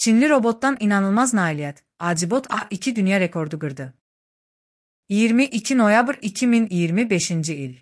Çinli robotdan inanılmaz nailiyyət. Acibot A2 dünya rekordu qırdı. 22 noyabr 2025-ci il.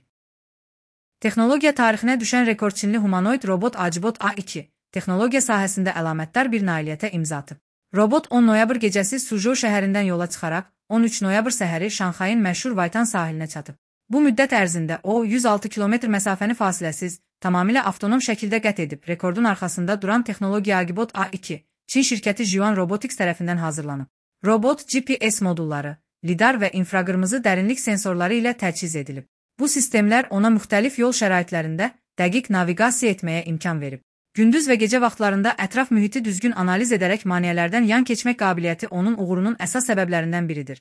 Texnologiya tarixinə düşən rekord Çinli humanoid robot Acibot A2 texnologiya sahəsində əlamətdar bir nailiyyətə imza atıb. Robot 10 noyabr gecəsi Suzhou şəhərindən yola çıxaraq 13 noyabr səhəri Şanxayın məşhur Vaytan sahilinə çatıb. Bu müddət ərzində o 106 kilometr məsafəni fasiləsiz, tamamilə avtonom şəkildə qət edib. Rekordun arxasında duran texnologiya Acibot A2 Çin şirkəti Zhuan Robotics tərəfindən hazırlanıb. Robot GPS modulları, lidar və infraqırmızı dərinlik sensorları ilə təchiz edilib. Bu sistemlər ona müxtəlif yol şəraitlərində dəqiq naviqasiya etməyə imkan verib. Gündüz və gecə vaxtlarında ətraf mühiti düzgün analiz edərək maneələrdən yan keçmək qabiliyyəti onun uğurunun əsas səbəblərindən biridir.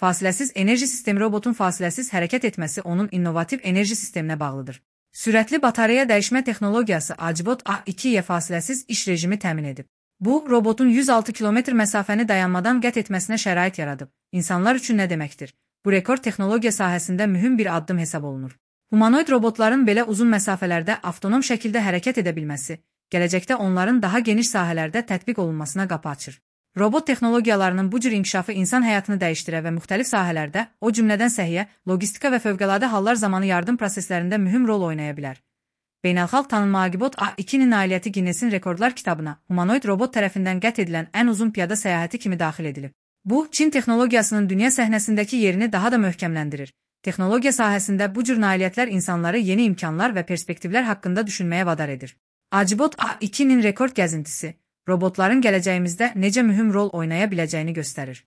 Fasiləsiz enerji sistemi robotun fasiləsiz hərəkət etməsi onun innovativ enerji sisteminə bağlıdır. Sürətli batareya dəyişmə texnologiyası Acibot A2-yə fasiləsiz iş rejimi təmin edib. Bu, robotun 106 kilometr məsafəni dayanmadan qət etməsinə şərait yaradıb. İnsanlar üçün nə deməkdir? Bu rekord texnologiya sahəsində mühüm bir addım hesab olunur. Humanoid robotların belə uzun məsafələrdə avtonom şəkildə hərəkət edə bilməsi, gələcəkdə onların daha geniş sahələrdə tətbiq olunmasına qapı açır. Robot texnologiyalarının bu cür inkişafı insan həyatını dəyişdirə və müxtəlif sahələrdə, o cümlədən səhiyyə, logistika və fövqəladə hallar zamanı yardım proseslərində mühüm rol oynaya bilər. Beynəlxalq tanınma Acibot A2-nin nailiyyəti Ginnesin rekordlar kitabına humanoid robot tərəfindən qət edilən ən uzun piyada səyahəti kimi daxil edilib. Bu, Çin texnologiyasının dünya səhnəsindəki yerini daha da möhkəmləndirir. Texnologiya sahəsində bu cür nailiyyətlər insanları yeni imkanlar və perspektivlər haqqında düşünməyə vadar edir. Acibot A2-nin rekord gəzintisi, robotların gələcəyimizdə necə mühüm rol oynaya biləcəyini göstərir.